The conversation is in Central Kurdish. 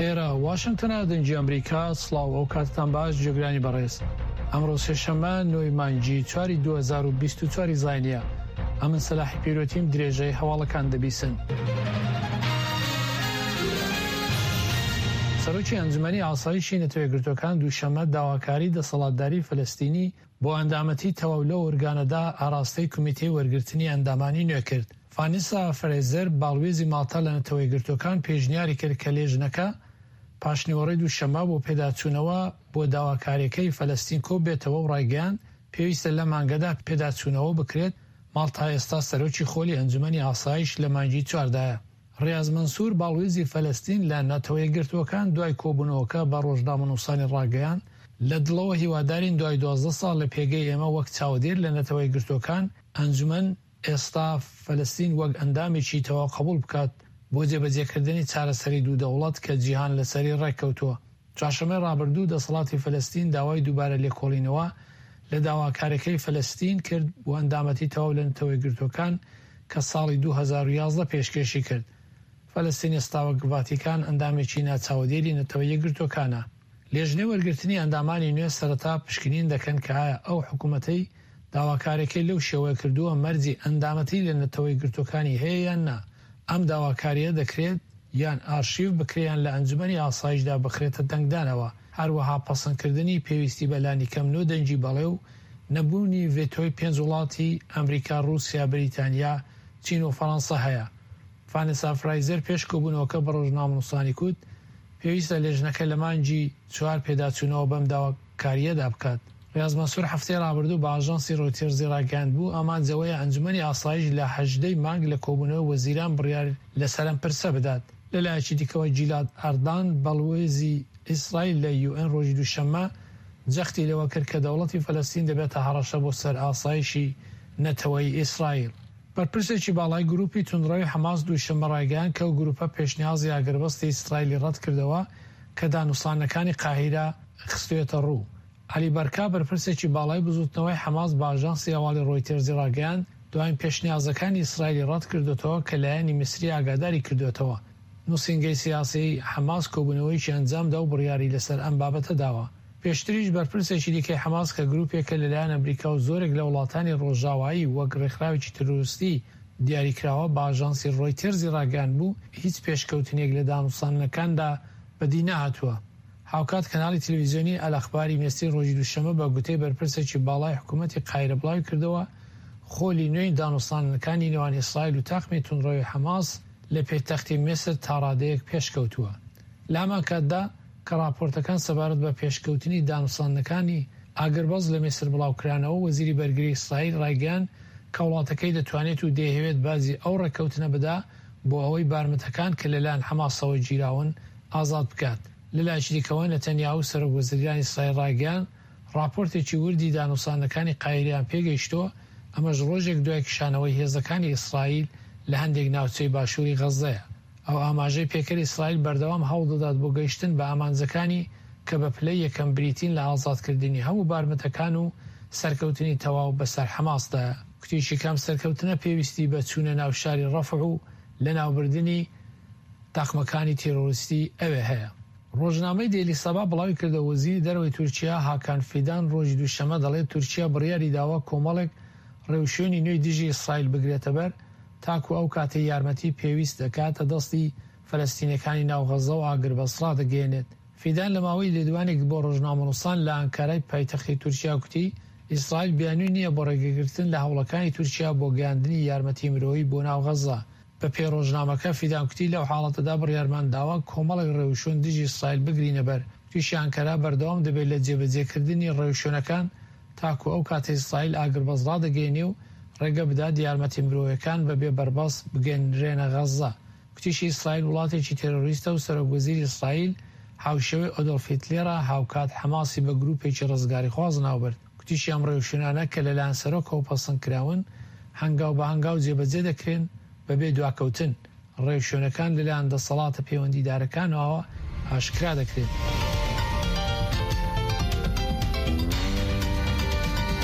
ئێرە واشنگتنە دەنگی ئەمریکا سڵاو ئەو کاتتان باش جێگرانی بەڕێز ئەمڕۆ سێشەممە نۆی مانگی چواری 2024 زینە ئەمن سەلاحی پیرۆتیم درێژەی هەواڵەکان دەبیسن. سەرۆکی ئەنجومەنی ئاسایشی نەتەوەیەکگرتووەکان دووشەممە داواکاری دەسەڵاتداری فەلەستینی بۆ ئەندامەتی تەواو لەو ئۆرگانەدا ئاراستەی کومیتەی وەرگرتنی ئەندامانی نوێ کرد. ڤانیسا فرێزەر باڵوێزی ماڵتا لە نەتەوەیەکگرتووەکان پێشنیاری کرد کە لێژنەکە پاشنیوەڕۆی دووشەممە بۆ پێداچوونەوە بۆ داواکاریەکەی فەلەستین کۆببێتەوە و ڕایگەیاند پێویستە لەم مانگەدا پێداچوونەوە بکرێت، ماڵتا ئێستا سەرۆکی خۆلی ئەنجومەنی ئاسایش لە مانگی چواردایە. ڕیاز مەنسور باڵوێزی فەلەستین لە نەتەوەیەکگرتووەکان دوای کۆبوونەوەکە بە ڕۆژنامەنووسانی ڕاگەیاند، لە دڵەوە هیوادارین دوای 12 ساڵ لە پێگەی ئێمە وەک چاودێر لە نەتەوەیەکگرتووەکان، ئەنجومەن ئێستا فەلەستین وەک ئەندامێکی تەواو قبوڵ بکات بۆ جێبەجێکردنی چارەسەری دوو دەوڵەت کە جیهان لەسەری ڕێککەوتووە. چوارشەممەی ڕابردوو دەسەڵاتی فەلەستین داوای دووبارە لێکۆڵینەوە لە داواکاریەکەی فەلەستین کرد بۆ ئەندامەتی تەواو لە نەتەوەیەکگرتووەکان کە ساڵی 2011 پێشکێشی کرد. فەلەستین ئێستا وەک ڤاتیکان ئەندامێکی ناچاودێری نەتەوە یەکگرتووەکانە. لێژنەی وەرگرتنی ئەندامانی نوێ سەرەتا پشکنین دەکەن کە ئایا ئەو حکومەتەی داواکاریەکەی لەو شێوەیە کردووە مەرجی ئەندامەتی لە نەتەوەیەکگرتووەکانی هەیە یان نا. ئەم داواکارییە دەکرێت یان ئارشیڤ بکرێ یان لە ئەنجومەنی ئاسایشدا بخرێتە دەنگدانەوە، هەروەها پەسەندکردنی پێویستی بە لانیکەم نۆ دەنگی بەڵێ و نەبوونی ڤێتۆی پێنج وڵاتی، ئەمریکا، ڕووسیا، بریتانیا، چین و فەرەنسا هەیە. ڤانێسا فرایزەر پێش کۆبوونەوەکە بە ڕۆژنامەنووسانی کوت، پێویستە لێژنەکە لە مانگی چوار پێداچوونەوە بەم داواکارییەدا بکات. ڕیاز مەنسوور هەفتەی ڕابردوو بە ئاژانسی ڕۆیتێرزی ڕاگەیاندبوو، ئامانج ئەوەیە ئەنجومەنی ئاسایش لە 18 ی مانگ لە کۆبوونەوەی وەزیران بڕیار لەسەر ئەم پرسە بدات. لەلایەکی دیکەوە گیلاد ئەردان، باڵوێزی ئیسرائیل لە یوئێن ڕۆژی دووشەممە جەختی لەوە کرد کە دەوڵەتی فەلەستین دەبێتە هەڕەشە بۆ سەر ئاسایشی نەتەوەیی ئیسرائیل. بەرپرسێکی باڵای گروپی توندڕەوی حەماس دووشەممە ڕایگەیاند کە ئەو گروپە پێشنیازی ئاگربەستی ئیسرائیلی ڕەتکردەوە کە دانوستاندنەکانی قاهیرە خستوویەتەڕوو. عەلی بەرکا بەرپرسێکی باڵای بزووتنەوەی حەماس بە ئاژانسی هەواڵی ڕۆیتێرزی ڕاگەیاند، دواین پێشنیازەکانی ئیسرائیلی ڕەتکردۆتەوە کە لایەنی میسری ئاگاداری کردۆتەوە. نووسینگەی سیاسیی حەماس کۆبوونەوەیەکی ئەنجامدا و بڕیاری لەسەر ئەم بابەتە داوە. پێشتریش بەرپرسێکی دیکەی حەماس کە گروپێکە لەلایەن ئەمریکا و زۆرێک لە وڵاتانی ڕۆژاوایی وەک ڕێکخراوێکی تیرۆریستی دیاریکراوە بە ئاژانسی ڕۆیتێرزی ڕاگەیاندبوو هیچ پێشکەوتنێک لە دانوستاندنەکاندا بەدی نەهاتووە. هاوکات کەناڵی تەلەڤیزیۆنی ئەلئەخباری میسری ڕۆژی دووشەممە بە گوتەی بەرپرسێکی باڵای حکوومەتی قاهیرە بڵاویکردەوە، خۆلی نوێی دانوستاندنەکانی نێوان ئیسرائیل و تاقمی توندڕەوی حەماس لە پێتەختی میسر تاڕادەیەک پێشکەوتووە. لە هەمان کاتدا کە ڕاپۆرتەکان سەبارەت بە پێشکەوتنی دانوستاندنەکانی ئاگربەست لە میسر بڵاوکرانەوە، وەزیری بەرگری ئیسرائیل ڕایگەیاند کە وڵاتەکەی دەتوانێت و دەیهەوێت باجی ئەو ڕێککەوتنە بدا بۆ ئەوەی بارمتەکان کە لەلایەن حەماسەوە گیراون ئازاد بکات. لەلایەکی دیکەوە نەتەنیاهو سەرۆک وەزیرانی ئیسرائیل ڕایگەیاند، ڕاپۆرتێکی وردی دانوستاندنەکانی قاهیرەیان پێگەیشتووە، ئەمەش ڕۆژێک دوای کشانەوەی هێزەکانی ئیسرائیل لە هەندێک ناوچەی باشووری غەززەیە. ئەو ئاماژەی پێکرد، ئیسرائیل بەردەوام هەوڵدەدات بۆ گەیشتن بە ئامانجەکانی کە بە پلەی یەکەم بریتین لە ئازادکردنی هەموو بارمتەکان و سەرکەوتنی تەواو بەسەر حەماسدایە. گوتیشی کە ئەم سەرکەوتنە پێویستی بە چوونە ناو شاری ڕەفح و لەناوبردنی تاقمەکانی تیرۆریستی ئەوێ هەیە. ڕۆژنامەی دەیلی سەبا بڵاویکردەوە، وەزیری دەرەوەی تورکیا هاکان فیدان ڕۆژی دووشەممە دەڵێت تورکیا بڕیاریداوە کۆمەڵێک ڕێوشوێنی نوێی دژی ئیسرائیل بگرێتەبەر تاکو ئەو کاتەی یارمەتی پێویست دەکاتە دەستی فەلەستینیەکانی ناو غەززە و ئاگربەست ڕادەگەیەنێت. فیدان لە ماوەی لێدوانێک بۆ ڕۆژنامەنووسان لە ئانکارای پایتەختی تورکیا گوتی، ئیسرائیل بیانووی نییە بۆ ڕێگەگرتن لە هەوڵەکانی تورکیا بۆ گەیاندنی یارمەتی مرۆیی بۆ ناو غەززە. بە پێی ڕۆژنامەکە، فیدان گوتی، لەو حاڵەتەدا بڕیارمان داوە کۆمەڵێک ڕێوشوێن دژی ئیسرائیل بگرینەبەر. گوتیشی ئانکەرا بەردەوام دەبێت لە جێبەجێکردنی ڕێوشوێنەکان تاکو ئەو کاتەی ئیسرائیل ئاگربەست ڕادەگەیەنێ و ڕێگە بدات یارمەتی مرۆیەکان بەبێ بەربەست بگەنرێنە غەززە. گوتیشی ئیسرائیل وڵاتێکی تێرۆریستە و سەرۆک وەزیری ئیسرائیل هاوشێوەی ئۆدۆلف هیتلێرە، هاوکات حەماسی بە گروپێکی ڕزگاریخواز ناوبرد. گوتیشی ئەم ڕێوشوێنانە کە لەلایەن سەرۆکەوە پەسەند کراون، هەنگاو بە هەنگاو جێبەجێ دەکرێن بەبێ دواکەوتن. ڕێوشوێنەکان لەلایەن دەسەڵاتە پەیوەندیدارەکانەوە ئاشکرا دەکرێن.